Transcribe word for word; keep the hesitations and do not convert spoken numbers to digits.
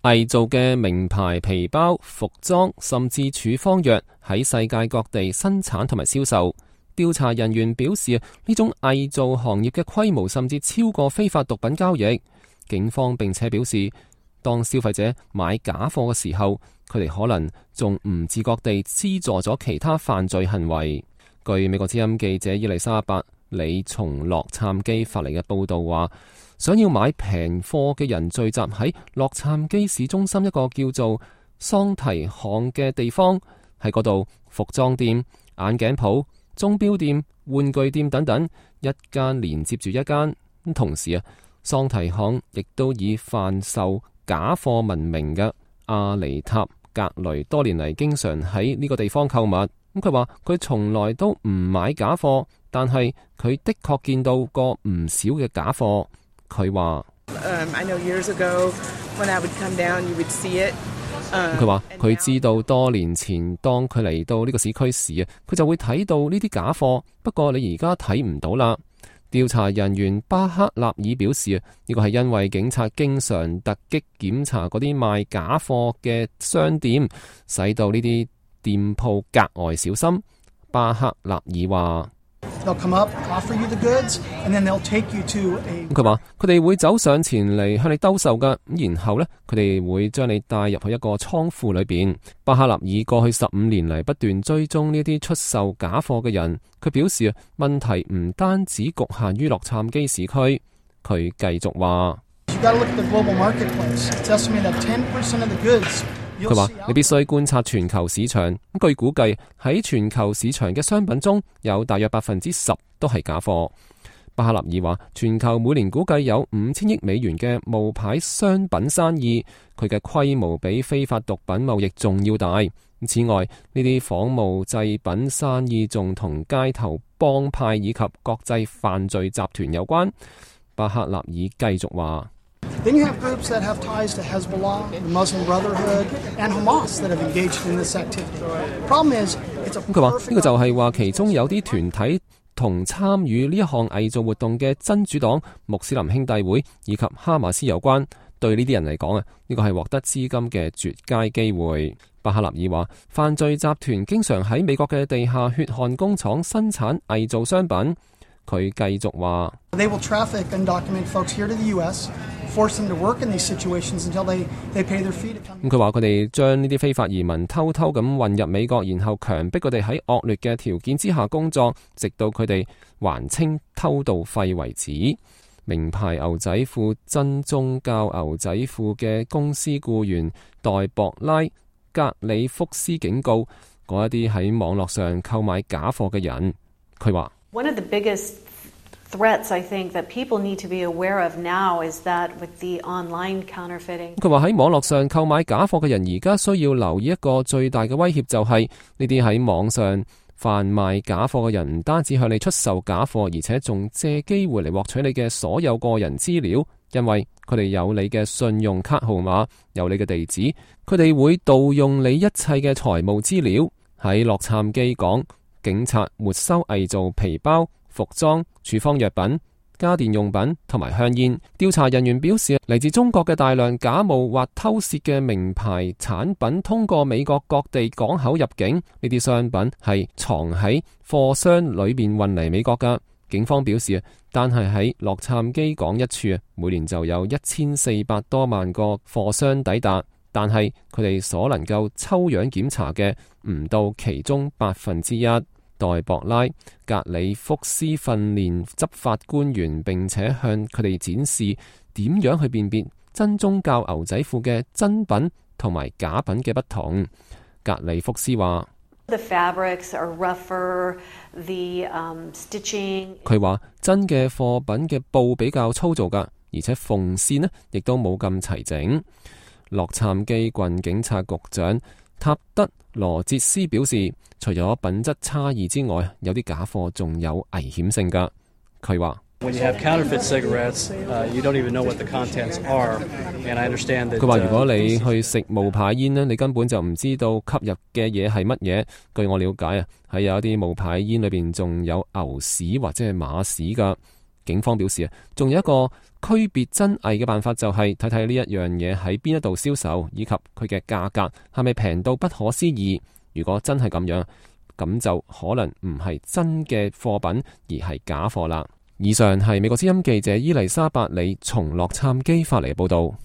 偽造嘅名牌皮包、服裝甚至處方藥喺世界各地生產同埋銷售。調查人員表示，呢種偽造行業嘅規模甚至超過非法毒品交易。警方並且表示，當消費者買假貨嘅時候，佢哋可能仲唔自覺地資助咗其他犯罪行為。據美國之音記者伊麗莎白李從洛杉磯發嚟嘅報道話，想要買平貨嘅人聚集喺洛杉磯市中心一個叫做桑提巷嘅地方，喺嗰度服裝店、眼鏡鋪、鐘錶店、玩具店等等，一間連接住一間。同時啊，桑提巷亦都以販售假貨聞名嘅阿尼塔格雷多年嚟經常喺呢個地方購物。咁佢話佢從來都唔買假貨，但係佢的確見到過唔少嘅假貨。佢話佢話佢知道多年前當佢嚟到呢個市區時啊，佢就會睇到呢啲假貨，不過你而家睇唔到啦。調查人員巴克納爾表示啊，呢個係因為警察經常突擊檢查嗰啲賣假貨嘅商店，使到呢啲店鋪格外小心。巴克納爾話佢話佢哋會走上前嚟向你兜售噶，然後呢，佢哋會將你帶入去一個倉庫裏邊。巴克納爾過去十五年嚟不斷追蹤呢啲出售假貨嘅人，佢表示啊，問題唔單止局限於洛杉磯市區。佢繼續話佢話你必須觀察全球市場，據估計喺全球市場嘅商品中有大約百分之十都係假貨。巴克納爾話，全球每年估計有五千億美元嘅冒牌商品生意，佢嘅規模比非法毒品貿易仲要大。此外，呢啲仿冒製品生意仲同街頭幫派以及國際犯罪集團有關。巴克納爾繼續話Then you have groups that have ties to Hezbollah, the Muslim Brotherhood, and Hamas that have engaged in this activity. Problem is, it's a perfect... 佢話呢個就係話其中有啲團體同參與呢一項偽造活動嘅真主黨、穆斯林兄弟會以及哈馬斯有關。對呢啲人嚟講啊，呢個係獲得資金嘅絕佳機會。巴克納爾話，犯罪集團經常喺美國嘅地下血汗工廠生產偽造商品。佢繼續話：They will traffic undocumented folks here to the U S, force them to work in these situations until they they pay their fee to come. 咁佢話佢哋將呢啲非法移民偷偷咁混入美國，然後強迫佢哋喺惡劣嘅條件之下工作，直到佢哋還清偷渡費為止。名牌牛仔褲、真宗教牛仔褲嘅公司僱員代博拉格里福斯警告嗰一啲喺網絡上購買假貨嘅人，佢話One of the biggest threats I think that people need to be aware of now is that with the online counterfeiting. 佢話喺網絡上購買假貨嘅人而家需要留意一個最大嘅威脅，就係呢啲喺網上販賣假貨嘅人唔單止向你出售假貨，而且仲借機會嚟獲取你嘅所有個人資料，因為佢哋有你嘅信用卡號碼，有你嘅地址，佢哋會盜用你一切嘅財務資料。喺洛杉磯港，警察沒收偽造皮包、服裝、處方藥品、家電用品同埋香煙。調查人員表示，嚟自中國嘅大量假冒或偷竊嘅名牌產品通過美國各地港口入境，呢啲商品係藏喺貨箱裏面運嚟美國㗎。警方表示，單係喺洛杉磯港一處，每年就有一千四百多萬個貨箱抵達，但係佢哋所能夠抽樣檢查嘅唔到其中百分之一。代博拉格里福斯訓練執法官員，並且向佢哋展示點樣去辨別真宗教牛仔褲嘅真品同埋假品嘅不同。格里福斯話：The fabrics are rougher, the um, stitching。佢話真嘅貨品嘅布比較粗糙噶，而且縫線呢亦都冇咁齊整。洛杉磯郡警察局長塔德羅哲斯表示，除咗品質差異之外，有啲假貨仲有危險性噶。佢話佢話如果你去食冒牌煙呢，你根本就唔知道吸入嘅嘢係乜嘢。據我了解啊，喺有一啲冒牌煙裏邊仲有牛屎或者係馬屎噶。警方表示啊，仲有一個區別真偽嘅辦法，就係睇睇呢一樣嘢喺邊一度銷售，以及佢嘅價格係咪平到不可思議。如果真係咁樣，咁就可能唔係真嘅貨品，而係假貨啦。以上係美國之音記者伊麗莎白里從洛杉磯發嚟嘅報道。